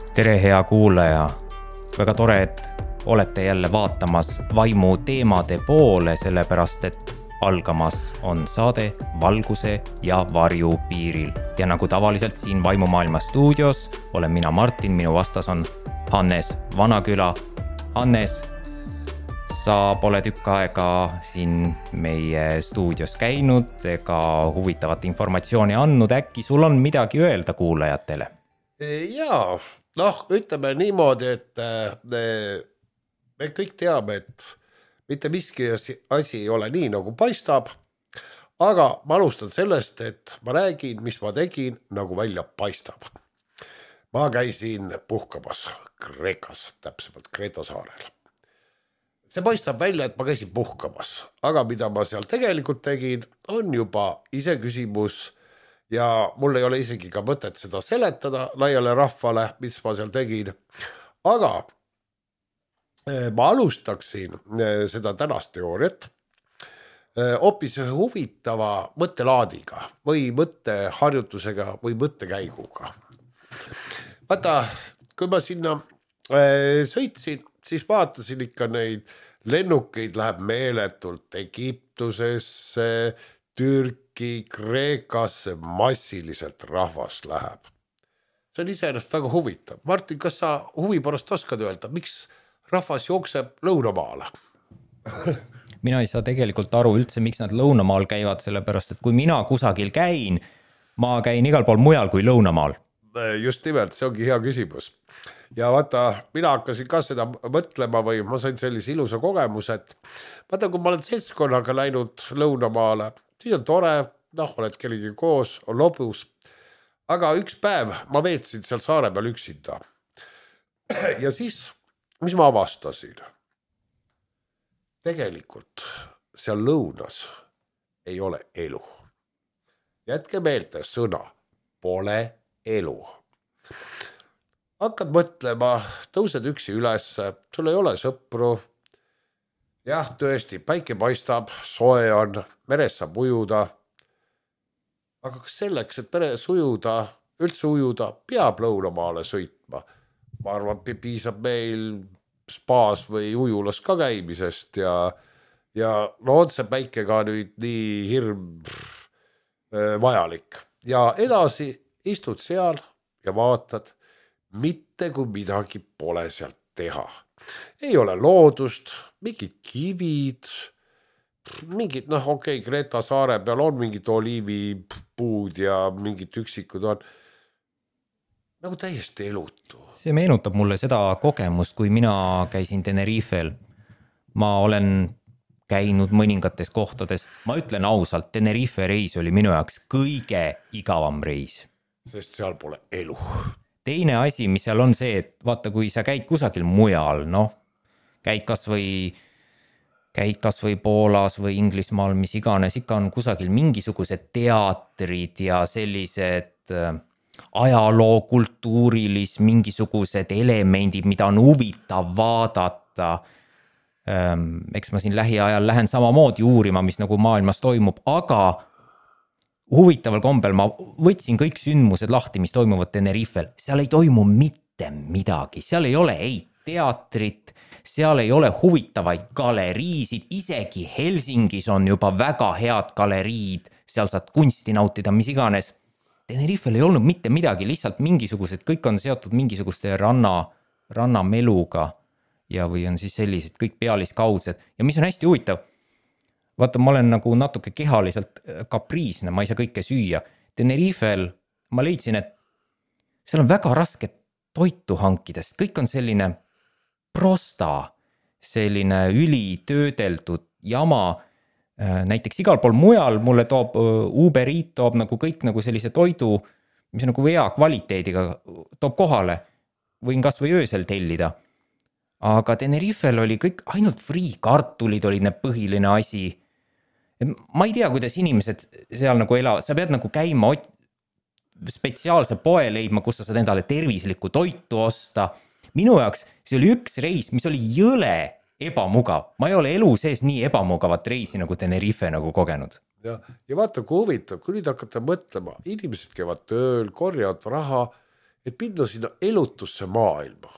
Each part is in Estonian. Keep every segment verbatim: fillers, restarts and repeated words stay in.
Tere hea kuulaja, väga tore, et olete jälle vaatamas vaimu teemade poole, sellepärast et algamas on saade Valguse ja varju piiril. Ja nagu tavaliselt siin Vaimumaailma stuudios olen mina Martin, minu vastas on Hannes Vanaküla. Hannes, sa pole tükk aega siin meie stuudios käinud ega huvitavat informatsiooni andnud, äkki sul on midagi öelda kuulajatele? Jaa, noh, ütleme niimoodi, et me kõik teame, et mitte miski asi ei ole nii, nagu paistab, aga ma alustan sellest, et ma räägin, mis ma tegin, nagu välja paistab. Ma käisin puhkamas Kreekas, täpsemalt Kreeta saarel. See paistab välja, et ma käisin puhkamas, aga mida ma seal tegelikult tegin, on juba ise küsimus ja mul ei ole isegi ka mõtet seda seletada laiale rahvale, mis ma seal tegin. Aga ma alustaksin seda tänast teooriat hoopis huvitava mõttelaadiga või mõtteharjutusega või mõttekäiguga. Vaata, kui ma sinna sõitsin, siis vaatasin ikka neid lennukeid läheb meeletult Egiptusesse, Türki, Kreekasse, massiliselt rahvas läheb. See on iseenesest väga huvitav. Martin, kas sa huvi pärast oskad öelda, miks rahvas jookseb lõunamaale? Mina ei saa tegelikult aru üldse, miks nad lõunamaal käivad, sellepärast et kui mina kusagil käin, ma käin igal pool mujal kui lõunamaal. Just nimelt, see ongi hea küsimus. Ja vaata, mina hakkasin ka seda mõtlema või ma sain sellise ilusa kogemuse, et vaata, kui ma olen seltskonnaga läinud lõunamaale, siis on tore, noh, oled kellegi koos, on lobus, aga üks päev ma veetsin seal saare peal üksinda. Ja siis, mis ma avastasin? Tegelikult seal lõunas ei ole elu. Jätke meelde sõna, pole elu. Hakkad mõtlema, tõused üksi üles, sul ei ole sõpru. Jah, tõesti, päike paistab, soe on, meres saab ujuda. Aga kas selleks, et meres ujuda, üldse ujuda, peab lõunamaale sõitma? Ma arvan, piisab meil spaas või ujulas ka käimisest ja, ja no on see päike ka nüüd nii hirm vajalik. Ja edasi istud seal ja vaatad, mitte kui midagi pole sealt teha. Ei ole loodust, mingid kivid, mingid, noh okei, okay, Kreeta saare peal on mingid oliivipuud ja mingid üksikud on nagu täiesti elutu. See meenutab mulle seda kogemust, kui mina käisin Tenerifel. Ma olen käinud mõningates kohtades. Ma ütlen ausalt, Tenerife reis oli minu jaoks kõige igavam reis. Sest seal pole elu. Teine asi, mis seal on see, et vaata, kui sa käid kusagil mujal, noh, käid kas või, käid kas või Poolas või Inglismaal, mis iganes, ikka on kusagil mingisugused teatrid ja sellised ajaloo kultuurilis, mingisugused elemendid, mida on huvitav vaadata. Eks ma siin lähiajal lähen samamoodi uurima, mis nagu maailmas toimub, aga huvitaval kombel ma võtsin kõik sündmused lahti, mis toimuvad Tenerifel. Seal ei toimu mitte midagi. Seal ei ole ei teatrit, seal ei ole huvitavaid galeriisid. Isegi Helsingis on juba väga head galeriid. Seal saad kunsti nautida, mis iganes. Tenerifel ei olnud mitte midagi, lihtsalt mingisugused, kõik on seotud mingisuguste ranna, rannameluga ja või on siis sellised kõik pealiskaudsed. Ja mis on hästi huvitav, vaata, ma olen nagu natuke kehaliselt kapriisne, ma ei saa kõike süüa. Tenerifel ma leidsin, et seal on väga raske toitu hankidest. Kõik on selline prosta, selline ülitöödeldud jama. Näiteks igal pool mujal mulle toob Uber Eats toob nagu kõik nagu sellise toidu, mis on nagu hea kvaliteediga toob kohale. Võin kas või öösel tellida. Aga Tenerifel oli kõik ainult free kartulid oli need põhiline asi. Ma ei tea, kuidas inimesed seal nagu elavad, sa pead nagu käima spetsiaalse poe leidma, kus sa saad endale tervislikku toitu osta. Minu jaoks see oli üks reis, mis oli jõle ebamugav. Ma ei ole elu sees nii ebamugavat reisi nagu Tenerife nagu kogenud. Ja, ja vaata, kui huvitav, kui nüüd hakata mõtlema, inimesed käivad tööl, korjavad raha et minna sinna elutusse maailma.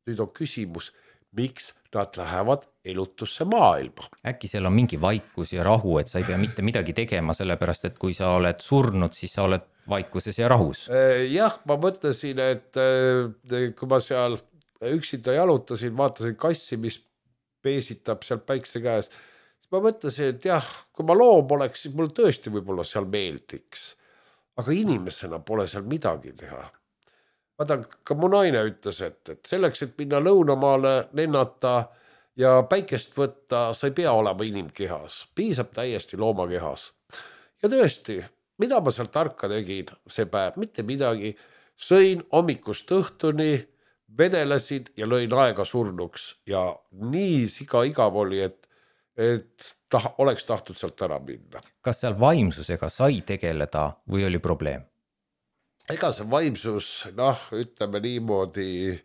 Nüüd on küsimus, miks nad lähevad elutusse maailma. Äkki seal on mingi vaikus ja rahu, et sa ei pea mitte midagi tegema, sellepärast et kui sa oled surnud, siis sa oled vaikuses ja rahus. Jah, ma mõtlesin, et kui ma seal üksinda jalutasin, vaatasin kassi, mis peesitab seal päikse käes, siis ma mõtlesin, et jah, kui ma loom oleks, siis mul tõesti võib-olla seal meeldiks. Aga inimesena pole seal midagi teha. Vaata, ka mu naine ütles, et, et selleks, et minna lõunamaale lennata ja päikest võtta, sa ei pea olema inimkehas. Piisab täiesti loomakehas. Ja tõesti, mida ma seal tarka tegin see päev? Mitte midagi. Sõin hommikust õhtuni, vedelesin ja lõin aega surnuks. Ja nii siga igav oli, et, et ta, oleks tahtnud sealt ära minna. Kas seal vaimsusega sai tegeleda või oli probleem? Ega see vaimsus, noh, ütleme niimoodi,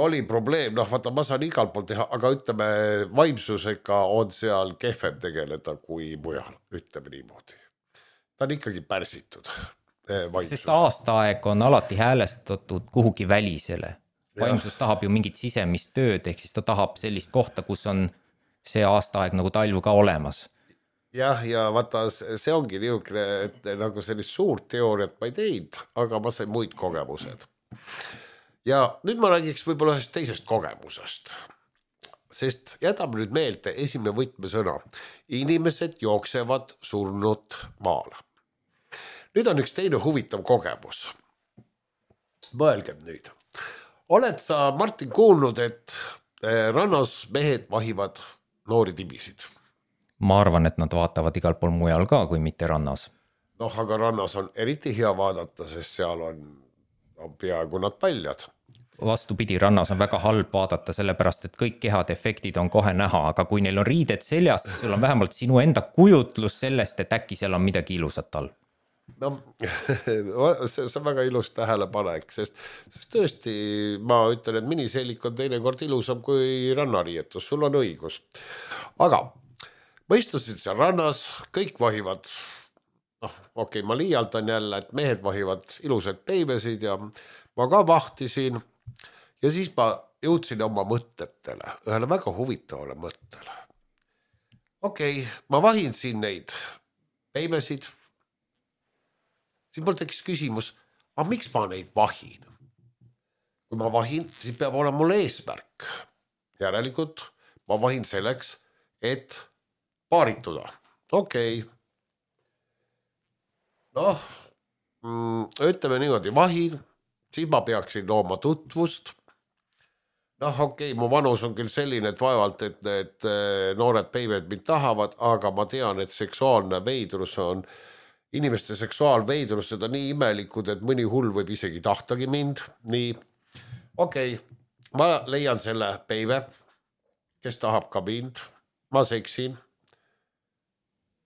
oli probleem, noh, vaata, ma saan igal pool teha, aga ütleme, vaimsusega on seal kehvem tegeleda kui mujal, ütleme niimoodi. Ta on ikkagi pärsitud. Vaimsus. Sest aastaaeg on alati häälestatud kuhugi välisele. Vaimsus ja. tahab ju mingit sisemist tööd, ehk siis ta tahab sellist kohta, kus on see aastaaeg nagu talv ka olemas. Jah, ja vaata, see ongi niisugune, et nagu sellist suurt teooriat ma ei teinud, aga ma sain muid kogemused. Ja nüüd ma räägiks võib-olla ühest teisest kogemusest, sest jätame nüüd meelde esimene võtmesõna. Inimesed jooksevad surnud maale. Nüüd on üks teine huvitav kogemus. Mõelgem nüüd. Oled sa, Martin, kuulnud, et rannas mehed vahivad noori tibisid? Ma arvan, et nad vaatavad igal pool mujal ka, kui mitte rannas. Noh, aga rannas on eriti hea vaadata, sest seal on, on peaaegu nad paljad. Vastupidi, rannas on väga halb vaadata, sellepärast, et kõik kehad efektid on kohe näha, aga kui neil on riided seljas, siis sul on vähemalt sinu enda kujutlus sellest, et äkki seal on midagi ilusat all. No, see on väga ilus tähelepanek, sest, sest tõesti ma ütlen, et miniseelik on teinekord ilusam kui rannariietus, sul on õigus. Aga ma istusin seal rannas, kõik vahivad, noh, okei, okay, ma liialdan jälle, et mehed vahivad ilusad peimesid ja ma ka vahtisin ja siis ma jõudsin oma mõtetele, ühele väga huvitavale mõttele. Okei, okay, ma vahin siin neid peimesid, siis mul tekkis küsimus, aga miks ma neid vahin? Kui ma vahin, siis peab olema mul eesmärk. Järelikult ma vahin selleks, et paarituda. Okei. Okay. Noh, ütleme niimoodi, vahin, siis ma peaksin looma tutvust. Noh, okei, okay, mu vanus on küll selline, et vaevalt, et need noored peimed mind tahavad, aga ma tean, et seksuaalne veidrus on, inimeste seksuaalveidrused on nii imelikud, et mõni hull võib isegi tahtagi mind. Nii, okei, okay. Ma leian selle peime, kes tahab ka mind, ma seksin.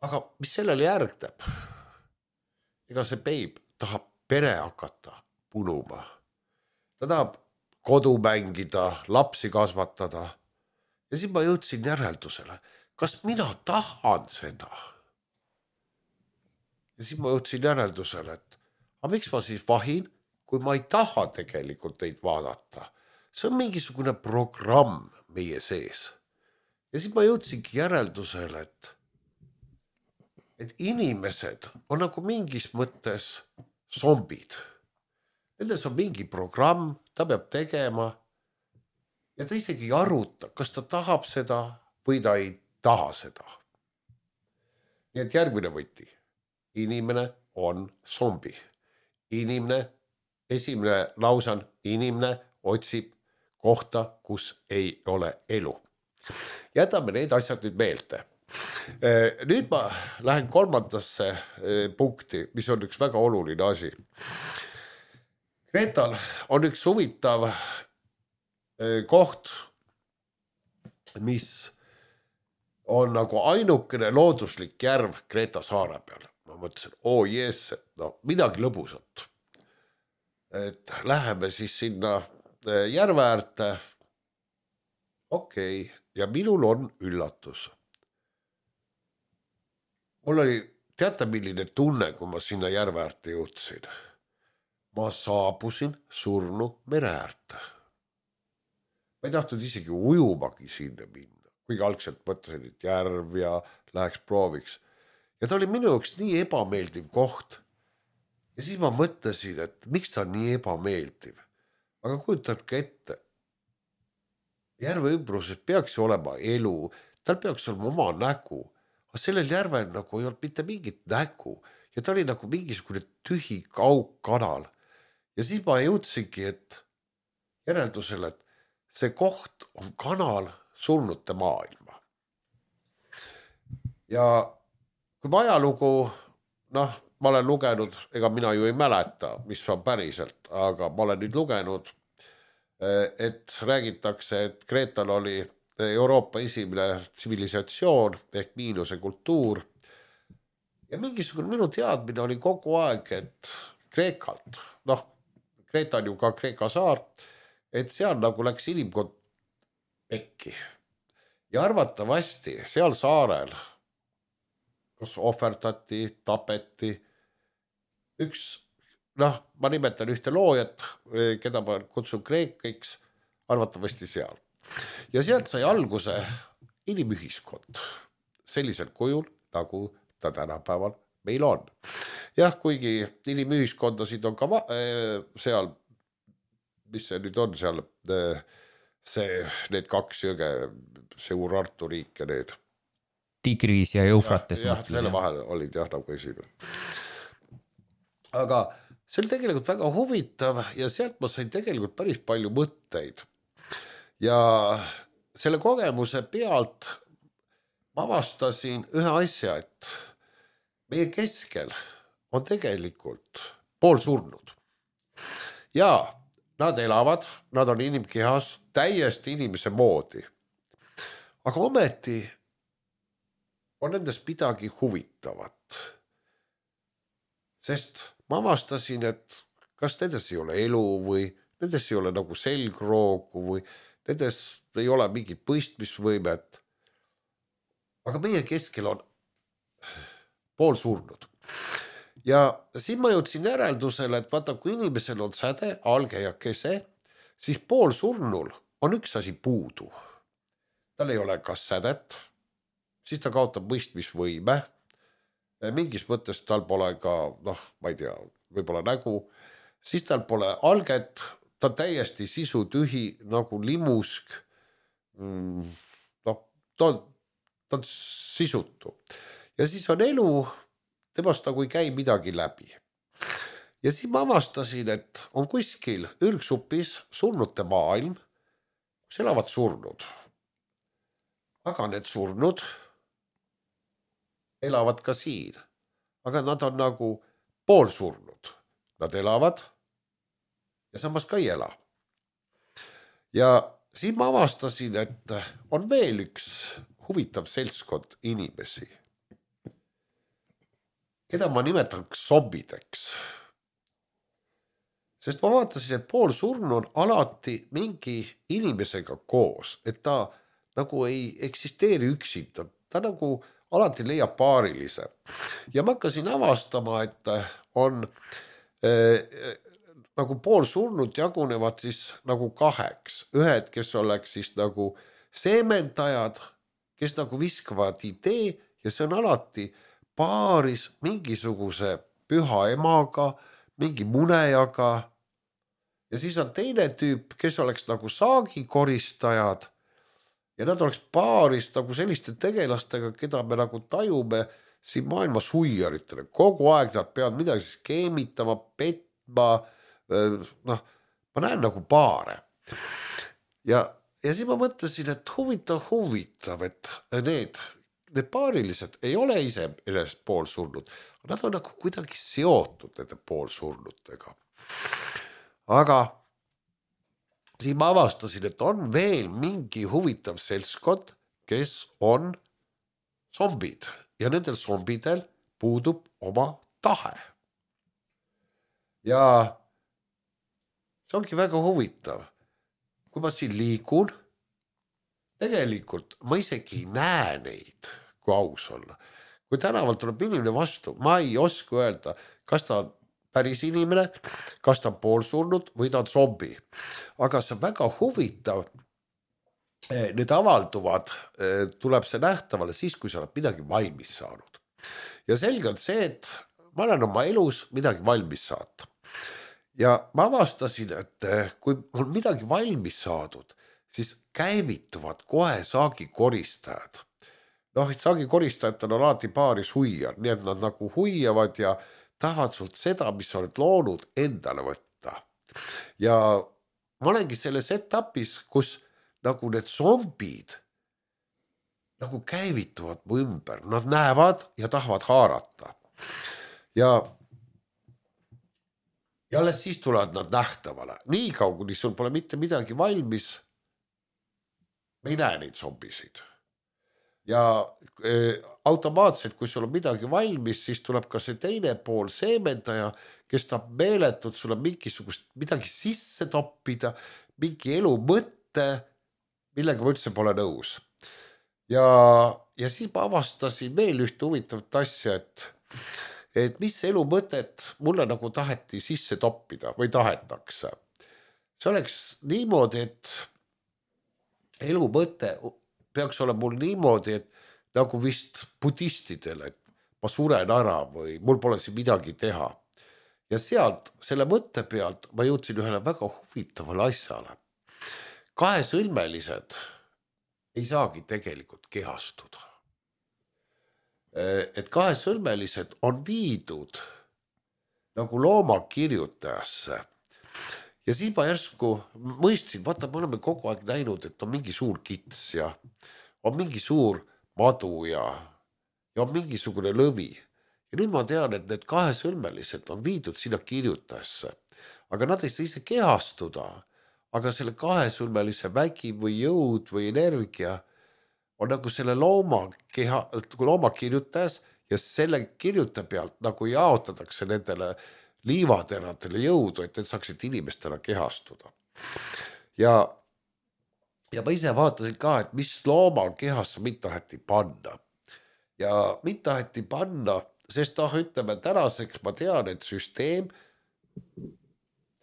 Aga mis sellele järgneb? Ega see peib tahab pere hakata punuma. Ta tahab kodu mängida, lapsi kasvatada. Ja siis ma jõudsin järeldusele, kas mina tahan seda? Ja siis ma jõudsin järeldusele, et aga miks ma siis vahin, kui ma ei taha tegelikult neid vaadata? See on mingisugune programm meie sees. Ja siis ma jõudsingi järeldusele, et et inimesed on nagu mingis mõttes zombid. Nendes on mingi programm, ta peab tegema ja ta isegi ei aruta, kas ta tahab seda või ta ei taha seda. Nii et järgmine võti. Inimene on zombi. Inimene, esimene lausan, inimene otsib kohta, kus ei ole elu. Jätame need asjad nüüd meelde. Nüüd ma lähen kolmandasse punkti, mis on üks väga oluline asi. Gretal on üks huvitav koht, mis on nagu ainukene looduslik järv Kreta saare peal. Ma mõtlesin, oo oh jees, et no midagi lõbusat. Et läheme siis sinna järve äärde. Okei, okay. Ja minul on üllatus. Mul oli, teate milline tunne, kui ma sinna järve äärde jõudsin. ma saabusin surnu mere äärde. Ma ei tahtnud isegi ujumagi sinna minna, kuigi algselt mõtlesin, et järv ja läheks prooviks. Ja ta oli minu jaoks nii ebameeldiv koht. Ja siis ma mõtlesin, et miks ta on nii ebameeldiv. Aga kujutadki ette, järve ümbruses peaks olema elu, tal peaks olema oma nägu, aga sellel järvel nagu ei olnud mitte mingit nägu ja ta oli nagu mingisugune tühi kaugkanal. Ja siis ma jõudsingi, et järeldusele, et see koht on kanal surnute maailma. Ja kui ma ajalugu, noh, ma olen lugenud, ega mina ju ei mäleta, mis on päriselt, aga ma olen nüüd lugenud, et räägitakse, et Kreetal oli Euroopa esimene tsivilisatsioon ehk miinuse kultuur. Ja mingisugune minu teadmine oli kogu aeg, et Kreekalt, noh, Kreeta on ju ka Kreeka saar, et seal nagu läks inimkond pekki. Ja arvatavasti seal saarel kas ohverdati, tapeti, üks, noh, ma nimetan ühte loojat, keda ma kutsun kreekiks, arvatavasti seal. Ja sealt sai alguse inimühiskond sellisel kujul, nagu ta tänapäeval meil on. Jah, kuigi inimühiskondasid on ka seal, mis see nüüd on seal, see, need kaks jõge, see Urartu riik ja need. Tigris ja Eufrates. Jah, jah, selle vahel olid jah nagu esimene. Aga see oli tegelikult väga huvitav ja sealt ma sain tegelikult päris palju mõtteid. Ja selle kogemuse pealt ma avastasin ühe asja, et meie keskel on tegelikult pool surnud. Ja nad elavad, nad on inimkehas täiesti inimese moodi. Aga ometi on nendest midagi huvitavat. Sest ma avastasin, et kas nendes ei ole elu või nendes ei ole nagu selgroogu või nendes ei ole mingit mõistmisvõimet. Aga meie keskel on pool surnud. Ja siin ma jõudsin järeldusele, et vaata, kui inimesel on säde, alge ja kese, siis pool surnul on üks asi puudu. Tal ei ole kas sädet, siis ta kaotab mõistmisvõime. Mingis mõttes tal pole ka, noh, ma ei tea, võib-olla nägu. Siis tal pole alget, ta täiesti sisu tühi nagu limusk. No, ta on, ta on sisutu. Ja siis on elu, temast nagu ei käi midagi läbi. Ja siis ma avastasin, et on kuskil ürgsupis surnute maailm, kus elavad surnud. Aga need surnud elavad ka siin. Aga nad on nagu pool surnud. Nad elavad ja samas ka ei ela. Ja siin ma avastasin, et on veel üks huvitav seltskond inimesi, keda ma nimetan zombideks. Sest ma vaatasin, et pool surnu on alati mingi inimesega koos, et ta nagu ei eksisteeri üksinda. Ta nagu alati leiab paarilise. Ja ma hakkasin avastama, et on äh, nagu pool surnud jagunevad siis nagu kaheks. Ühed, kes oleks siis nagu seemendajad, kes nagu viskavad idee ja see on alati paaris mingisuguse püha emaga, mingi munejaga. Ja siis on teine tüüp, kes oleks nagu saagikoristajad ja nad oleks paaris nagu selliste tegelastega, keda me nagu tajume siin maailma suiaritele. Kogu aeg nad peavad midagi skeemitama, petma, noh, ma näen nagu paare. Ja, ja siis ma mõtlesin, et huvitav, huvitav, et need, need paarilised ei ole ise ennast pool surnud. Nad on nagu kuidagi seotud nende pool surnutega. Aga siis ma avastasin, et on veel mingi huvitav seltskond, kes on zombid ja nendel zombidel puudub oma tahe. Ja see ongi väga huvitav. Kui ma siin liigun, tegelikult ma isegi ei näe neid, kui aus olla. Kui tänavalt tuleb inimene vastu, ma ei oska öelda, kas ta on päris inimene, kas ta on poolsurnud või ta on zombi. Aga see on väga huvitav. Need avalduvad, tuleb see nähtavale siis, kui sa oled midagi valmis saanud. Ja selge on see, et ma olen oma elus midagi valmis saata. Ja ma avastasin, et kui on midagi valmis saadud, siis käivituvad kohe saagikoristajad. Noh, et saagikoristajad on alati paaris huijar, nii et nad nagu huiavad ja tahavad sult seda, mis sa oled loonud, endale võtta. Ja ma olengi selles etapis, kus nagu need zombid nagu käivituvad mu ümber. Nad näevad ja tahavad haarata. Ja Ja alles siis tulevad nad nähtavale. Nii kaua, kuni sul pole mitte midagi valmis, me ei näe neid zombisid. Ja e, automaatselt, kui sul on midagi valmis, siis tuleb ka see teine pool seemendaja, kes tahab meeletult sulle mingisugust midagi sisse toppida, mingi elu mõtte, millega ma üldse pole nõus. Ja, ja siis ma avastasin veel ühte huvitavat asja, et et mis elu mõtet mulle nagu taheti sisse toppida või tahetakse. See oleks niimoodi, et elu mõte peaks olema mul niimoodi, et nagu vist budistidel, et ma suren ära või mul pole siin midagi teha. Ja sealt, selle mõtte pealt ma jõudsin ühele väga huvitavale asjale. Kahesõlmelised ei saagi tegelikult kehastuda. Et kahesõlmelised on viidud nagu loomakirjutajasse. Ja siis ma järsku mõistsin, vaata, me oleme kogu aeg näinud, et on mingi suur kits ja on mingi suur madu ja, ja on mingisugune lõvi. Ja nüüd ma tean, et need kahesõlmelised on viidud sinna kirjutajasse. Aga nad ei saa ise kehastuda, aga selle kahesõlmelise vägi või jõud või energia on nagu selle looma, keha, looma kirjutajas ja selle kirjuta pealt nagu jaotatakse nendele liivateradele jõudu, et need saaksid inimestele kehastuda. Ja, ja ma ise vaatasin ka, et mis looma kehasse mind taheti panna. Ja mind taheti panna, sest noh, ütleme tänaseks ma tean, et süsteem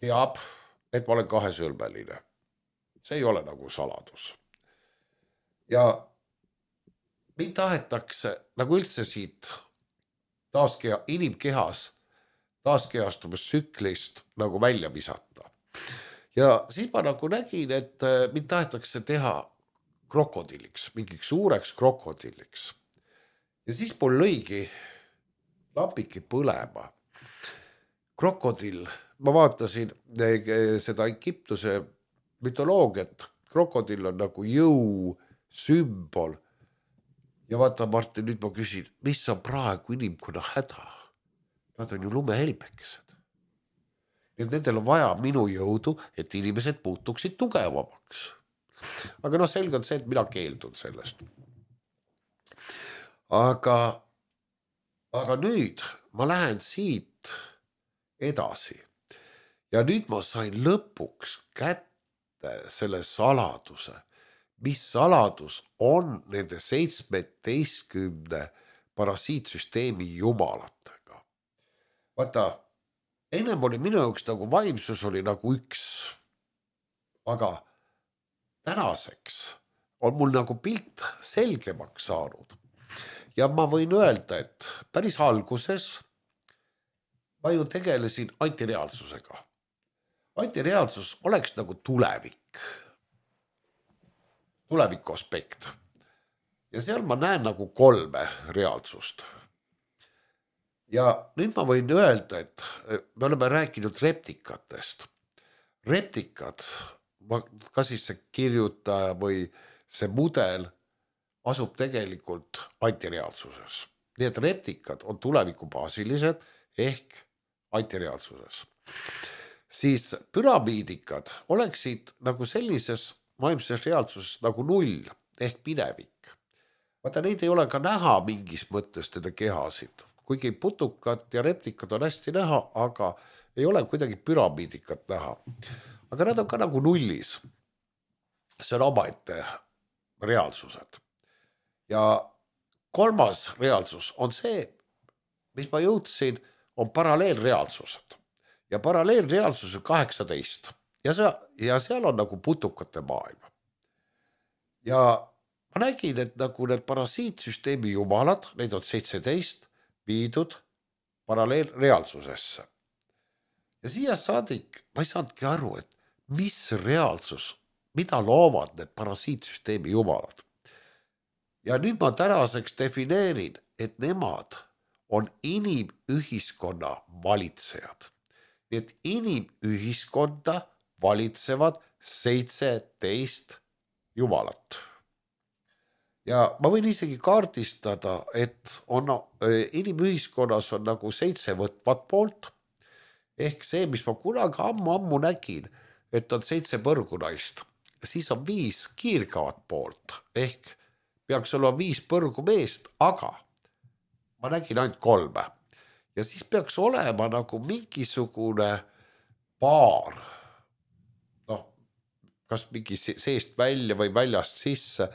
teab, et ma olen kahesõlmeline. See ei ole nagu saladus. Ja mind tahetakse nagu üldse siit taaskeha, inimkehas taaskehastumistsüklist nagu välja visata. Ja siis ma nagu nägin, et mind tahetakse teha krokodilliks, mingiks suureks krokodilliks. Ja siis mul lõigi lapiki põlema. Krokodill, ma vaatasin seda Egiptuse mütoloogiat, krokodill on nagu jõu, sümbol. Ja vaata, Martin, nüüd ma küsin, mis on praegu inimkonna häda? Nad on ju lumehelbekesed. Ja nendel on vaja minu jõudu, et inimesed muutuksid tugevamaks. Aga noh, selge on see, et mina keeldun sellest. Aga, aga nüüd ma lähen siit edasi. Ja nüüd ma sain lõpuks kätte selle saladuse, mis saladus on nende seitsmeteistkümne parasiitsüsteemi jumalatega. Vaata, ennem oli minu jaoks nagu vaimsus oli nagu üks, aga tänaseks on mul nagu pilt selgemaks saanud. Ja ma võin öelda, et päris alguses ma ju tegelesin antireaalsusega. Antireaalsus oleks nagu tulevik. Tuleviku aspekt. Ja seal ma näen nagu kolme reaalsust. Ja nüüd ma võin öelda, et me oleme rääkinud reptikatest. Reptikad, kas siis see kirjutaja või see mudel asub tegelikult antireaalsuses. Nii et reptikad on tulevikubaasilised ehk antireaalsuses. Siis püramiidikad oleksid nagu sellises vaimses reaalsuses nagu null ehk minevik. Vaata, neid ei ole ka näha mingis mõttes nende kehasid. Kuigi putukad ja reptikad on hästi näha, aga ei ole kuidagi püramiidikat näha. Aga nad on ka nagu nullis. See on omaette reaalsused. Ja kolmas reaalsus on see, mis ma jõudsin, on paralleelreaalsused. ja paralleelreaalsus on kaheksateist ja, see, ja seal on nagu putukate maailm. Ja ma nägin, et nagu need parasiitsüsteemi jumalad, neid on seitseteist viidud paralleelreaalsusesse. Ja siia saadik ma ei saanudki aru, et mis reaalsus, mida loovad need parasiitsüsteemi jumalad. Ja nüüd ma tänaseks defineerin, et nemad on inimühiskonna valitsejad. Nii et inimühiskonda valitsevad seitseteist jumalat. Ja ma võin isegi kaardistada, et on, inimühiskonnas on nagu seitse võtvat poolt, ehk see, mis ma kunagi ammu-ammu nägin, et on seitse põrgunaist, siis on viis kiirgavat poolt, ehk peaks olema viis põrgu meest, aga ma nägin ainult kolme. Ja siis peaks olema nagu mingisugune paar, noh, kas mingi seest välja või väljast sisse,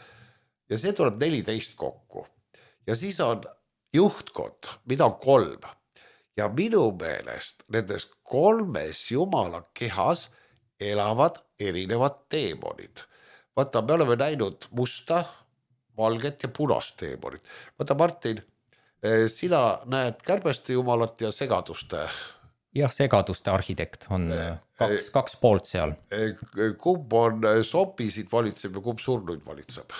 ja see tuleb neliteist kokku. Ja siis on juhtkond, mida on kolm. Ja minu meelest nendes kolmes jumala kehas elavad erinevad teemonid. Vaata, me oleme näinud musta, valget ja punast teemonit. Vaata, Martin, sina näed kärbeste jumalat ja segaduste. Jah, segaduste arhitekt on kaks, kaks poolt seal. Kumb on zombisid valitseb ja kumb surnuid valitseb?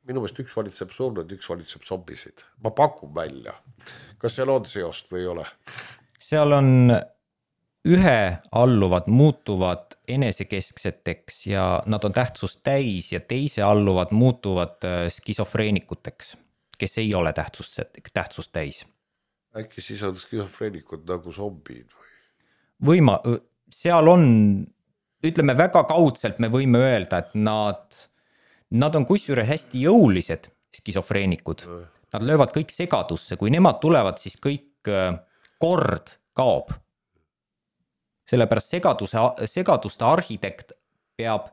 Minu meelest üks valitseb surnuid, üks valitseb zombisid. Ma pakun välja. Kas seal on seost või ei ole? Seal on ühe alluvad muutuvad enesekeskseteks ja nad on tähtsust täis ja teise alluvad muutuvad skisofreenikuteks, kes ei ole tähtsust, tähtsust täis. Äkki siis on skisofreenikud nagu zombid või? Võima, seal on, ütleme väga kaudselt me võime öelda, et nad, nad on kusjuure hästi jõulised skisofreenikud. Nad löövad kõik segadusse, kui nemad tulevad, siis kõik kord kaob. Sellepärast segaduse, segaduste arhitekt peab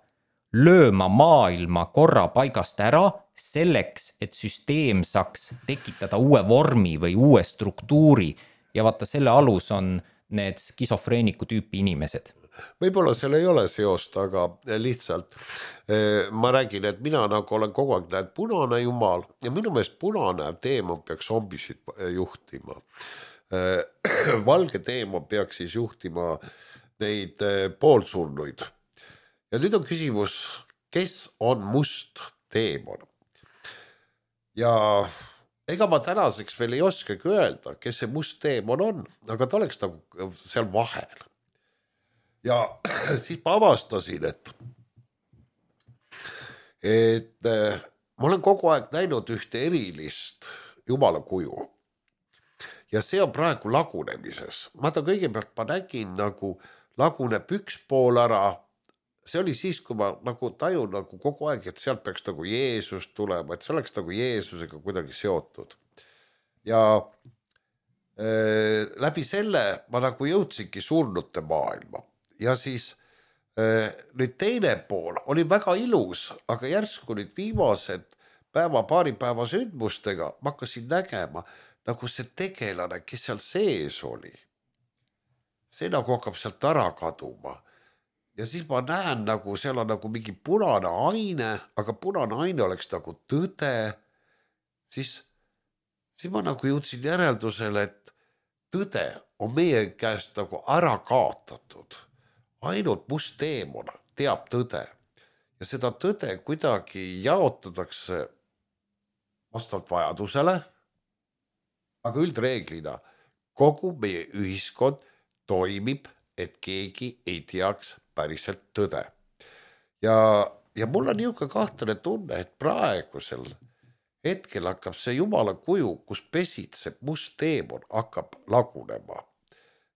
lööma maailma korra paigast ära selleks, et süsteem saaks tekitada uue vormi või uue struktuuri ja vaata selle alus on need skisofreeniku tüüpi inimesed. Võib-olla seal ei ole seost, aga lihtsalt ma räägin, et mina nagu olen kogu aeg näed punane jumal ja minu meelest punane teemon peaks zombisid juhtima. Valge teemon peaks siis juhtima neid poolsurnuid. Ja nüüd on küsimus, kes on must teemon? Ja ega ma tänaseks veel ei oskagi öelda, kes see must teemon on, aga ta oleks nagu seal vahel. Ja siis ma avastasin, et, et ma olen kogu aeg näinud ühte erilist jumala kuju. Ja see on praegu lagunemises. Ma ta kõigepealt ma nägin nagu laguneb üks pool ära. See oli siis, kui ma nagu tajun nagu kogu aeg, et sealt peaks nagu Jeesus tulema, et see oleks nagu Jeesusega kuidagi seotud. Ja äh, läbi selle ma nagu jõudsingi surnute maailma. Ja siis äh, nüüd teine pool oli väga ilus, aga järsku nüüd viimased päeva, paari päeva sündmustega ma hakkasin nägema nagu see tegelane, kes seal sees oli. See nagu hakkab sealt ära kaduma. Ja siis ma näen nagu seal on nagu mingi punane aine, aga punane aine oleks nagu tõde. Siis, siis ma nagu jõudsin järeldusele, et tõde on meie käest nagu ära kaotatud. Ainult must teemon teab tõde. Ja seda tõde kuidagi jaotatakse vastavalt vajadusele, aga üldreeglina kogu meie ühiskond toimib, et keegi ei teaks päriselt tõde. Ja, ja mul on niisugune kahtlane tunne, et praegusel hetkel hakkab see jumala kuju, kus pesitseb must teemon, hakkab lagunema.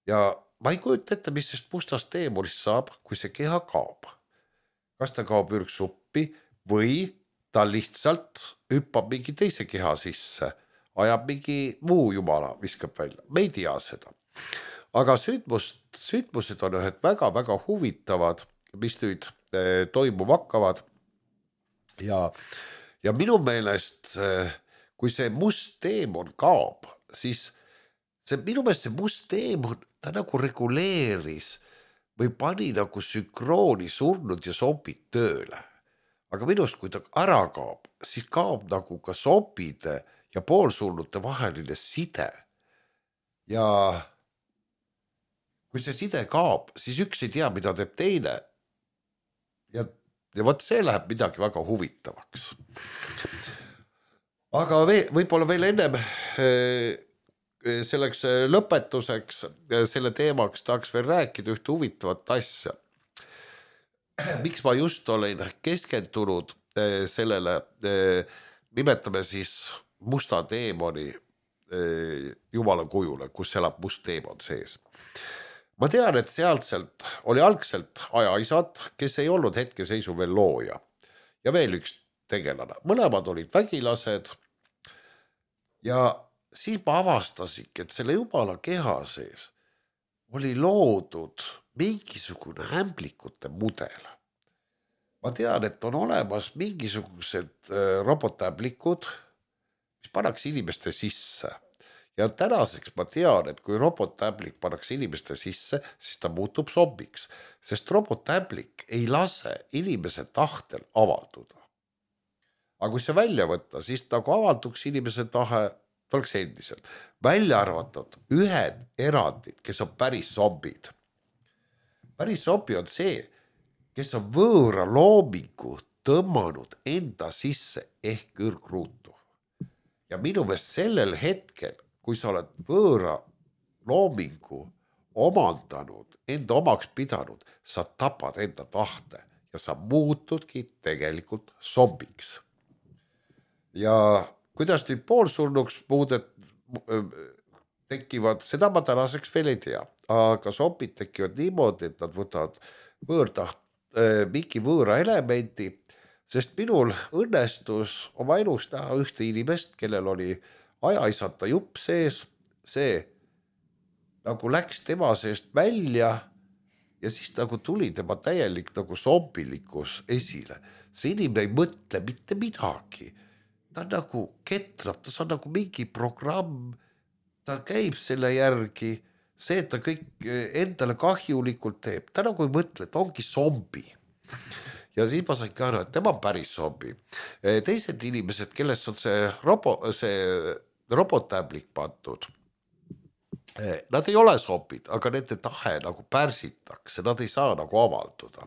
Ja ma ei kujuta ette, mis sest mustast teemonist saab, kui see keha kaob. Kas ta kaob ürgsuppi või ta lihtsalt hüppab mingi teise keha sisse, ajab mingi muu jumala, viskab välja. Me ei tea seda. Aga sündmust, sündmused on ühed väga-väga huvitavad, mis nüüd eh, toimuma hakkavad. Ja, ja minu meelest, eh, kui see must teemon kaob, siis see, minu meelest see must teemon, ta nagu reguleeris või pani nagu sünkrooni surnud ja zombid tööle. Aga minust, kui ta ära kaob, siis kaob nagu ka zombide ja poolsurnute vaheline side. Ja kui see side kaob, siis üks ei tea, mida teeb teine. Ja, ja võt see läheb midagi väga huvitavaks. Aga veel, võib-olla veel ennem selleks lõpetuseks selle teemaks tahaks veel rääkida ühte huvitavat asja. Miks ma just olen keskendunud sellele, nimetame siis musta teemoni jumala kujule, kus elab must teemon sees. Ma tean, et sealtselt oli algselt ajaisad, kes ei olnud hetkeseisu veel looja ja veel üks tegelane. Mõlemad olid vägilased ja siis ma avastasingi, et selle jumala keha sees oli loodud mingisugune ämblikute mudel. Ma tean, et on olemas mingisugused robotämblikud, mis pannakse inimeste sisse. Ja tänaseks ma tean, et kui robotämblik pannakse inimeste sisse, siis ta muutub zombiks, sest robotämblik ei lase inimese tahtel avalduda. Aga kui see välja võtta, siis nagu avalduks inimese tahe, ta oleks endiselt. Välja arvatud ühed erandid, kes on päris zombid. Päris zombi on see, kes on võõra loomingu tõmmanud enda sisse ehk ürgruutu. Ja minu meelest sellel hetkel, kui sa oled võõra loomingu omandanud, enda omaks pidanud, sa tapad enda tahte ja sa muutudki tegelikult zombiks. Ja kuidas nüüd poolsurnuks muudet tekivad, seda ma tänaseks veel ei tea, aga zombid tekivad niimoodi, et nad võtavad võõrtaht, mingi võõra elementi, sest minul õnnestus oma elus näha ühte inimest, kellel oli ajaisata jupp sees, see nagu läks tema seest välja ja siis nagu tuli tema täielik nagu zombilikus esile. See inimene ei mõtle mitte midagi. Ta nagu ketrab, ta on nagu mingi programm, ta käib selle järgi, see, et ta kõik endale kahjulikult teeb, ta nagu ei mõtle, et ongi zombi. Ja siis ma sain ka aru, et tema on päris zombi. Teised inimesed, kellest on see, robo, see robotämblik pandud, nad ei ole zombid, aga nende tahe nagu pärsitakse, nad ei saa nagu avalduda.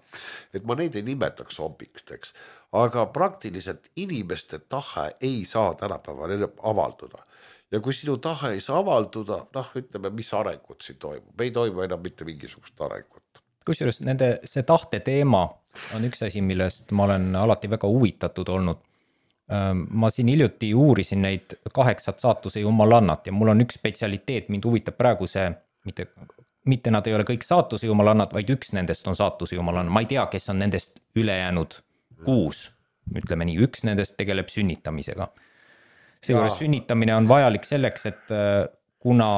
Et ma neid ei nimetaks zombiksteks, aga praktiliselt inimeste tahe ei saa tänapäeval avalduda. Ja kui sinu tahe ei saa avalduda, noh, ütleme, mis arengut siin toimub, ei toimu enam mitte mingisugust arengut. Kusjuures nende, see tahte teema on üks asi, millest ma olen alati väga huvitatud olnud. Ma siin hiljuti uurisin neid kaheksat saatuse jumalannat ja mul on üks spetsialiteet, mind huvitab praegu see, mitte, mitte nad ei ole kõik saatuse jumalannad, vaid üks nendest on saatuse jumalanna. Ma ei tea, kes on nendest ülejäänud kuus, ütleme nii, üks nendest tegeleb sünnitamisega. Seejuures sünnitamine on vajalik selleks, et kuna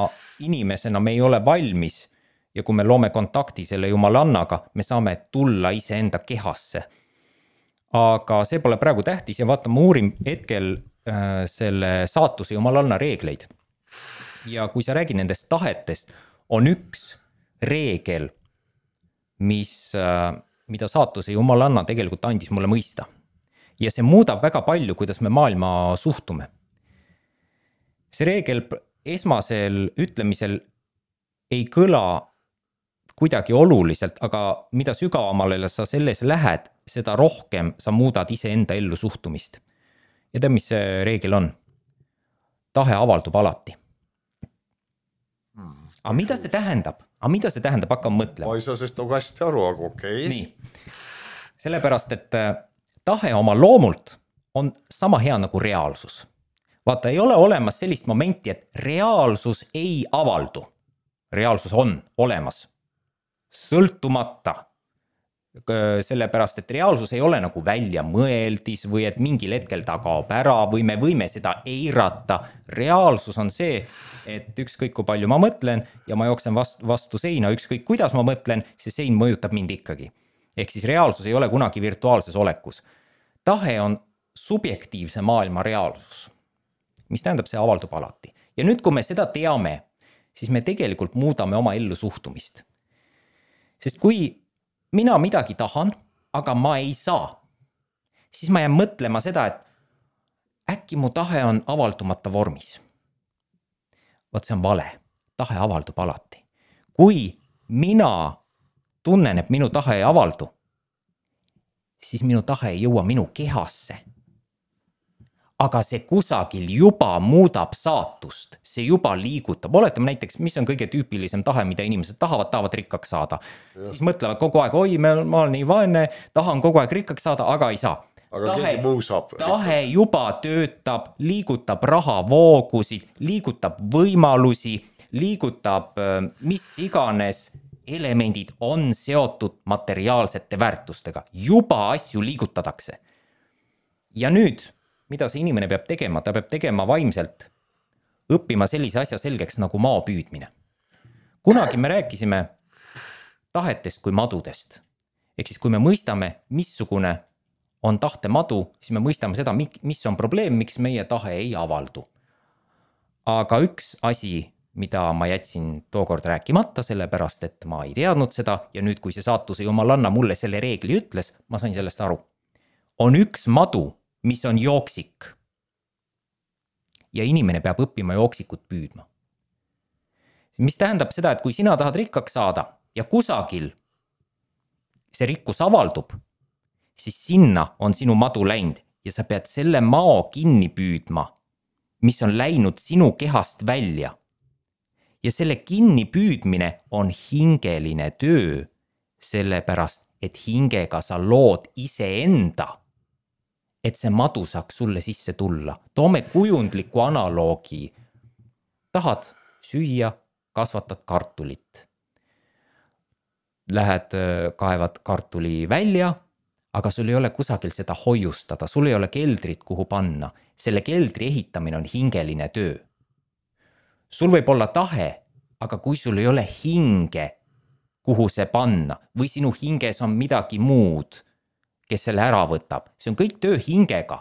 inimesena me ei ole valmis ja kui me loome kontakti selle jumalannaga, me saame tulla ise enda kehasse. Aga see pole praegu tähtis ja vaata, ma uurin hetkel äh, selle saatuse jumalanna reegleid. Ja kui sa räägid nendest tahetest, on üks reegel, mis, äh, mida saatuse jumalanna tegelikult andis mulle mõista. Ja see muudab väga palju, kuidas me maailma suhtume. See reegel esmasel ütlemisel ei kõla kuidagi oluliselt, aga mida sügavamale sa selles lähed, seda rohkem sa muudad ise enda ellu suhtumist. Ja tead, mis see reegel on? Tahe avaldub alati. Aga mida see tähendab? Aga mida see tähendab? Hakkam mõtlema. Ma ei saa sest nagu hästi aru, aga okei. Okay. Nii. Sellepärast, et tahe oma loomult on sama hea nagu reaalsus. Vaata, ei ole olemas sellist momenti, et reaalsus ei avaldu. Reaalsus on olemas. Sõltumata. Sellepärast, et reaalsus ei ole nagu välja mõeldis või et mingil hetkel ta kaob ära või me võime seda eirata. Reaalsus on see, et ükskõik kui palju ma mõtlen ja ma jooksen vastu, vastu seina, ükskõik kuidas ma mõtlen, see sein mõjutab mind ikkagi. Ehk siis reaalsus ei ole kunagi virtuaalses olekus. Tahe on subjektiivse maailma reaalsus, mis tähendab, see avaldub alati. Ja nüüd, kui me seda teame, siis me tegelikult muudame oma ellu suhtumist. Sest kui mina midagi tahan, aga ma ei saa, siis ma jään mõtlema seda, et äkki mu tahe on avaldumata vormis. Vaat see on vale. Tahe avaldub alati. Kui mina tunnen, et minu tahe ei avaldu, siis minu tahe ei jõua minu kehasse. Aga see kusagil juba muudab saatust, see juba liigutab. Oletame näiteks, mis on kõige tüüpilisem tahe, mida inimesed tahavad, tahavad rikkaks saada. Ja. Siis mõtlevad kogu aeg, oi, ma olen nii vaene, tahan kogu aeg rikkaks saada, aga ei saa. Aga tahe, keegi muu saab. Tahe juba töötab, liigutab rahavoogusid, liigutab võimalusi, liigutab mis iganes elemendid on seotud materiaalsete väärtustega. Juba asju liigutatakse. Ja nüüd, mida see inimene peab tegema? Ta peab tegema vaimselt, õppima sellise asja selgeks nagu mao püüdmine. Kunagi me rääkisime tahetest kui madudest. Ehk siis kui me mõistame, missugune on tahte madu, siis me mõistame seda, mis on probleem, miks meie tahe ei avaldu. Aga üks asi, mida ma jätsin tookord rääkimata, sellepärast, et ma ei teadnud seda ja nüüd, kui see saatuse jumalanna mulle selle reegli ütles, ma sain sellest aru. On üks madu, mis on jooksik. Ja inimene peab õppima jooksikut püüdma. Mis tähendab seda, et kui sina tahad rikkaks saada ja kusagil see rikkus avaldub, siis sinna on sinu madu läinud ja sa pead selle mao kinni püüdma, mis on läinud sinu kehast välja. Ja selle kinni püüdmine on hingeline töö, sellepärast, et hingega sa lood iseenda, et see madu saaks sulle sisse tulla. Toome kujundliku analoogi. Tahad süüa, kasvatad kartulit. Lähed, kaevad kartuli välja, aga sul ei ole kusagil seda hoiustada. Sul ei ole keldrit, kuhu panna. Selle keldri ehitamine on hingeline töö. Sul võib olla tahe, aga kui sul ei ole hinge, kuhu see panna, või sinu hinges on midagi muud, kes selle ära võtab. See on kõik töö hingega.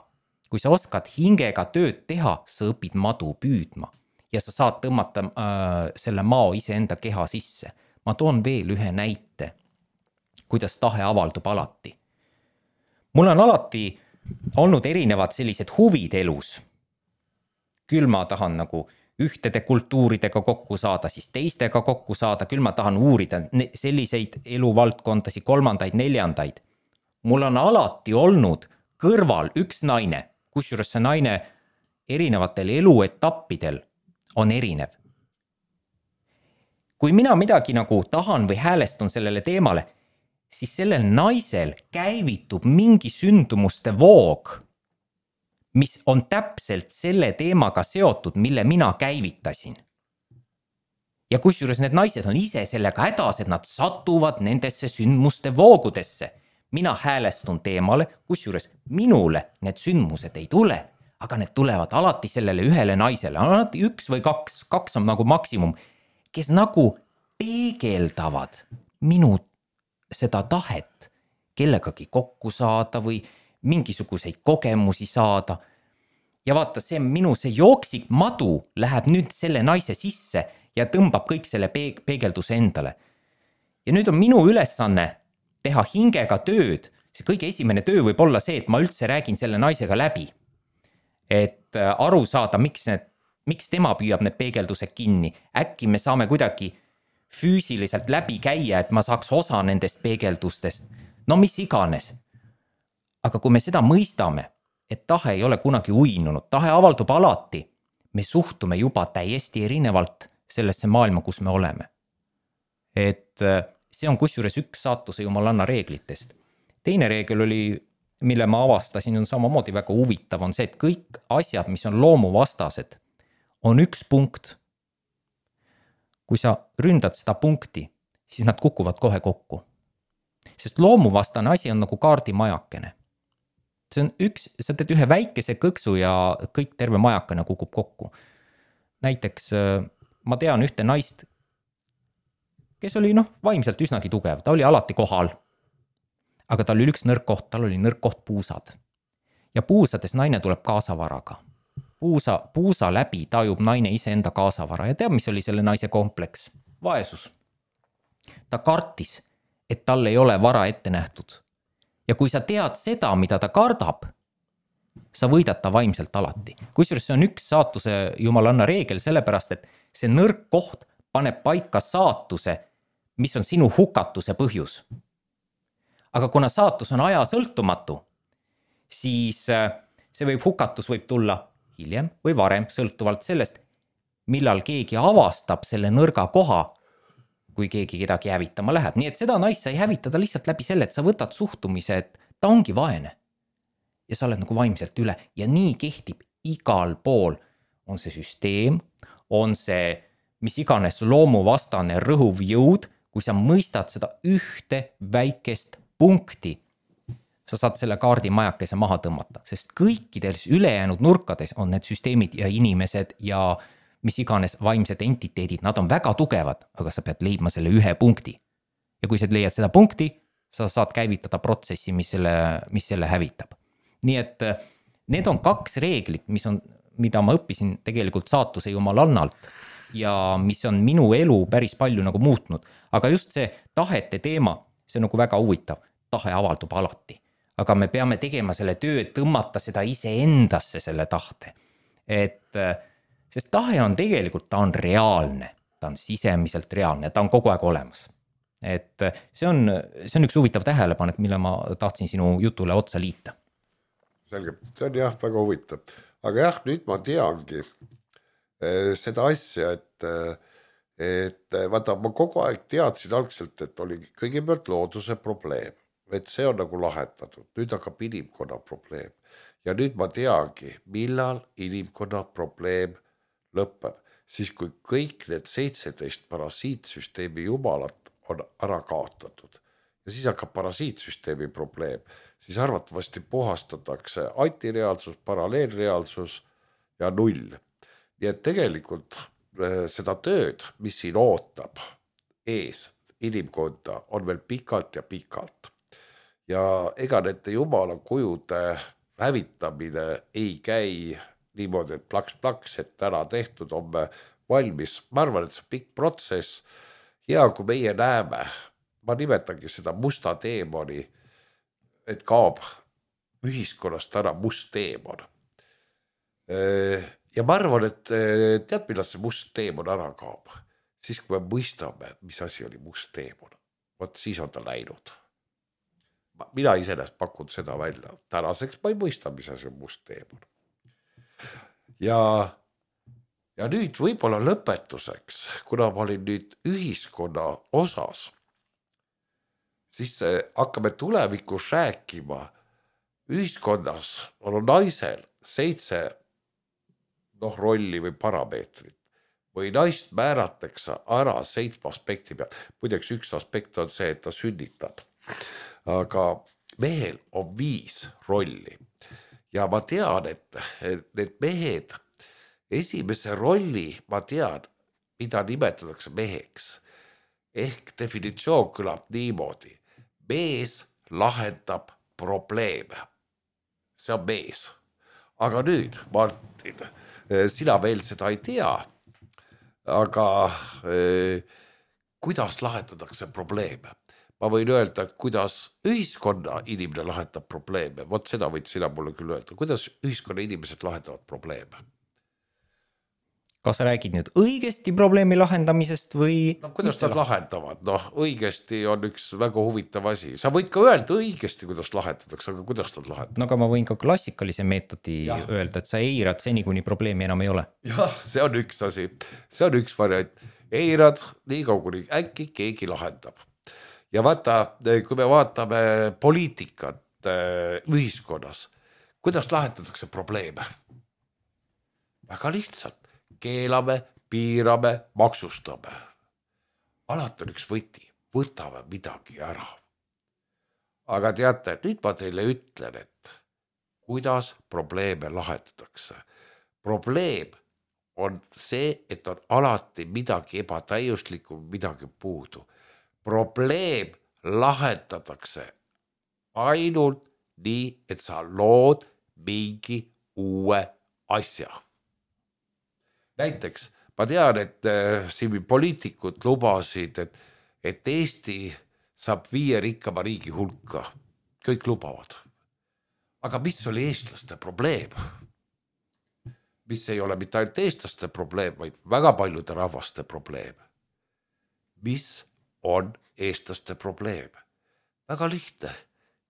Kui sa oskad hingega tööd teha, sa õpid madu püüdma ja sa saad tõmmata äh, selle mao iseenda keha sisse. Ma toon veel ühe näite, kuidas tahe avaldub alati. Mul on alati olnud erinevad sellised huvid elus. Küll ma tahan nagu ühtede kultuuridega kokku saada, siis teistega kokku saada, küll ma tahan uurida selliseid eluvaldkondasi, kolmandaid, neljandaid. Mul on alati olnud kõrval üks naine, kusjuures see naine erinevatel eluetappidel on erinev. Kui mina midagi nagu tahan või häälestun sellele teemale, siis sellel naisel käivitub mingi sündumuste voog, mis on täpselt selle teemaga seotud, mille mina käivitasin. Ja kusjuures need naised on ise sellega hädas, et nad satuvad nendesse sündmuste voogudesse. Mina häälestun teemale, kusjuures minule need sündmused ei tule, aga need tulevad alati sellele ühele naisele. Alati üks või kaks, kaks on nagu maksimum, kes nagu peegeldavad minu seda tahet kellegagi kokku saada või mingisuguseid kogemusi saada. Ja vaata, see minu see jooksik madu läheb nüüd selle naise sisse ja tõmbab kõik selle peegelduse endale. Ja nüüd on minu ülesanne teha hingega tööd. See kõige esimene töö võib olla see, et ma üldse räägin selle naisega läbi. Et aru saada, miks, need, miks tema püüab need peegeldused kinni. Äkki me saame kuidagi füüsiliselt läbi käia, et ma saaks osa nendest peegeldustest. No mis iganes. Aga kui me seda mõistame, et tahe ei ole kunagi uinunud, tahe avaldub alati, me suhtume juba täiesti erinevalt sellesse maailma, kus me oleme. Et see on kusjuures üks saatuse jumalanna reeglitest. Teine reegel oli, mille ma avastasin, on samamoodi väga huvitav, on see, et kõik asjad, mis on loomuvastased, on üks punkt. Kui sa ründad seda punkti, siis nad kukuvad kohe kokku. Sest loomuvastane asi on nagu kaardimajakene. See on üks, sa teed ühe väikese kõksu ja kõik terve majakene kukub kokku. Näiteks ma tean ühte naist, kes oli noh, vaimselt üsnagi tugev. Ta oli alati kohal, aga tal oli üks nõrk koht, tal oli nõrk koht puusad. Ja puusades naine tuleb kaasavaraga. puusa, puusa läbi tajub naine iseenda kaasavara ja teab, mis oli selle naise kompleks? Vaesus. Ta kartis, et tal ei ole vara ette nähtud. Ja kui sa tead seda, mida ta kardab, sa võidad ta vaimselt alati. Kusjuures see on üks saatuse jumalanna reegel, sellepärast, et see nõrk koht paneb paika saatuse, mis on sinu hukatuse põhjus. Aga kuna saatus on aja sõltumatu, siis see võib hukatus võib tulla hiljem või varem, sõltuvalt sellest, millal keegi avastab selle nõrga koha, kui keegi kedagi hävitama läheb. Nii et seda naist sai hävitada lihtsalt läbi selle, et sa võtad suhtumise, et ta ongi vaene. Ja sa oled nagu vaimselt üle. Ja nii kehtib igal pool. On see süsteem, on see mis iganes loomuvastane rõhuv jõud, kui sa mõistad seda ühte väikest punkti, sa saad selle kaardi majakese maha tõmmata, sest kõikides ülejäänud nurkades on need süsteemid ja inimesed ja mis iganes vaimsed entiteedid, nad on väga tugevad, aga sa pead leidma selle ühe punkti. Ja kui sa leiad seda punkti, sa saad käivitada protsessi, mis selle, mis selle hävitab. Nii et need on kaks reeglit, mis on, mida ma õppisin tegelikult saatuse jumalannalt ja mis on minu elu päris palju nagu muutnud. Aga just see tahete teema, see on nagu väga huvitav. Tahe avaldub alati. Aga me peame tegema selle töö, et tõmmata seda ise endasse selle tahte. Et sest tahe on tegelikult, ta on reaalne, ta on sisemiselt reaalne, ta on kogu aeg olemas. Et see on, see on üks huvitav tähelepanek, mille ma tahtsin sinu jutule otsa liita. Selge, see on jah väga huvitav. Aga jah, nüüd ma teangi seda asja, et, et vaata, ma kogu aeg teadsin algselt, et oli kõigepealt looduse probleem, et see on nagu lahendatud. Nüüd hakkab inimkonna probleem. Ja nüüd ma teangi, millal inimkonna probleem lõpeb, siis kui kõik need seitseteist parasiitsüsteemi jumalat on ära kaotatud. Ja siis hakkab parasiitsüsteemi probleem. Siis arvatavasti puhastatakse antireaalsus, paralleelreaalsus ja null. Nii et tegelikult seda tööd, mis siin ootab ees inimkonda, on veel pikalt ja pikalt. Ja ega nende jumala kujude hävitamine ei käi niimoodi, et plaks-plaks, et täna tehtud on me valmis. Ma arvan, et see pikk protsess, hea kui meie näeme, ma nimetangi seda musta teemoni, et kaob ühiskonnast ära must teemon. Ja ma arvan, et tead, millal see must teemon ära kaob? Siis kui me mõistame, mis asi oli must teemon. Vot siis on ta läinud. Mina isenest pakun seda välja. Tänaseks ma ei mõista, mis asi on must teemon. Ja, ja nüüd võib-olla lõpetuseks, kuna ma olin nüüd ühiskonna osas, siis hakkame tulevikus rääkima. Ühiskonnas on naisel seitse noh, rolli või parameetrit või naist määratakse ära seitsme aspekti peal. Muideks üks aspekt on see, et ta sünnitab, aga mehel on viis rolli. Ja ma tean, et need mehed, esimese rolli ma tean, mida nimetatakse meheks. Ehk definitsioon kõlab niimoodi. Mees lahendab probleeme. See on mees. Aga nüüd, Martin, sina veel seda ei tea, aga eh, kuidas lahendatakse probleeme? Ma võin öelda, et kuidas ühiskonna inimene lahendab probleeme. Vot seda võid sina mulle küll öelda. Kuidas ühiskonna inimesed lahendavad probleeme? Kas sa räägid nüüd õigesti probleemi lahendamisest või... No, kuidas nad lahendavad? Noh, õigesti on üks väga huvitav asi. Sa võid ka öelda õigesti, kuidas lahendatakse, aga kuidas nad lahendavad? No aga ma võin ka klassikalise meetodi ja. öelda, et sa eirad seni, kuni probleemi enam ei ole. Jah, see on üks asi. See on üks variant. Eirad nii kaua, kuni äkki keegi lahendab. Ja vaata, kui me vaatame poliitikat ühiskonnas, kuidas lahendatakse probleeme? Väga lihtsalt. Keelame, piirame, maksustame. Alati on üks võti. Võtame midagi ära. Aga teate, nüüd ma teile ütlen, et kuidas probleeme lahendatakse. Probleem on see, et on alati midagi ebatäiuslikku, midagi puudu. Probleem lahendatakse ainult nii, et sa lood mingi uue asja. näiteks ma tean, et äh, siin poliitikud lubasid, et, et Eesti saab viie rikkama riigi hulka. Kõik lubavad. Aga mis oli eestlaste probleem? Mis ei ole mitte ainult eestlaste probleem, vaid väga paljude rahvaste probleem. Mis on eestlaste probleem? Väga lihtne.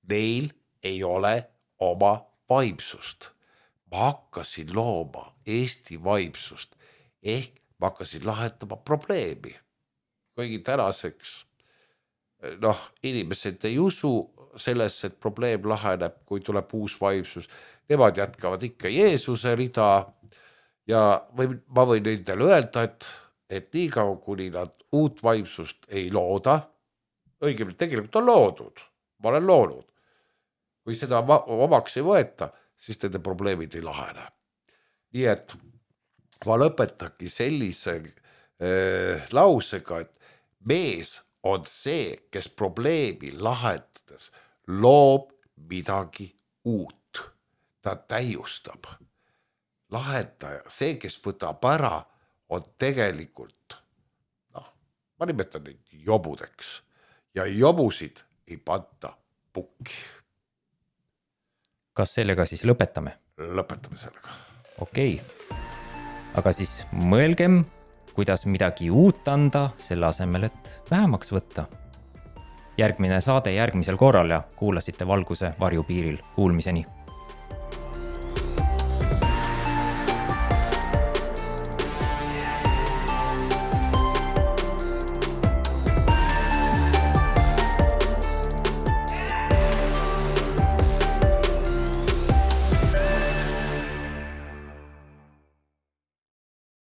Neil ei ole oma vaimsust. Ma hakkasin looma Eesti vaimsust ehk ma hakkasin lahendama probleemi. Kuigi tänaseks noh, inimesed ei usu sellesse, et probleem laheneb, kui tuleb uus vaimsus. Nemad jätkavad ikka Jeesuse rida ja või, ma võin nendele öelda, et, et nii kaua, kuni nad uut vaimsust ei looda, õigemini tegelikult on loodud, ma olen loonud. Kui seda omaks ei võeta, siis nende probleemid ei lahene. Nii et ma lõpetaki sellise äh, lausega, et mees on see, kes probleemi lahendades loob midagi uut. Ta täiustab. Lahendaja, see, kes võtab ära, on tegelikult, noh, ma nimetan neid jobudeks ja jobusid ei panta pukki. Kas sellega siis lõpetame? Lõpetame sellega. Okei, aga siis mõelgem, kuidas midagi uut anda selle asemel, et vähemaks võtta. Järgmine saade järgmisel korral ja kuulasite Valguse varjupiiril. Kuulmiseni!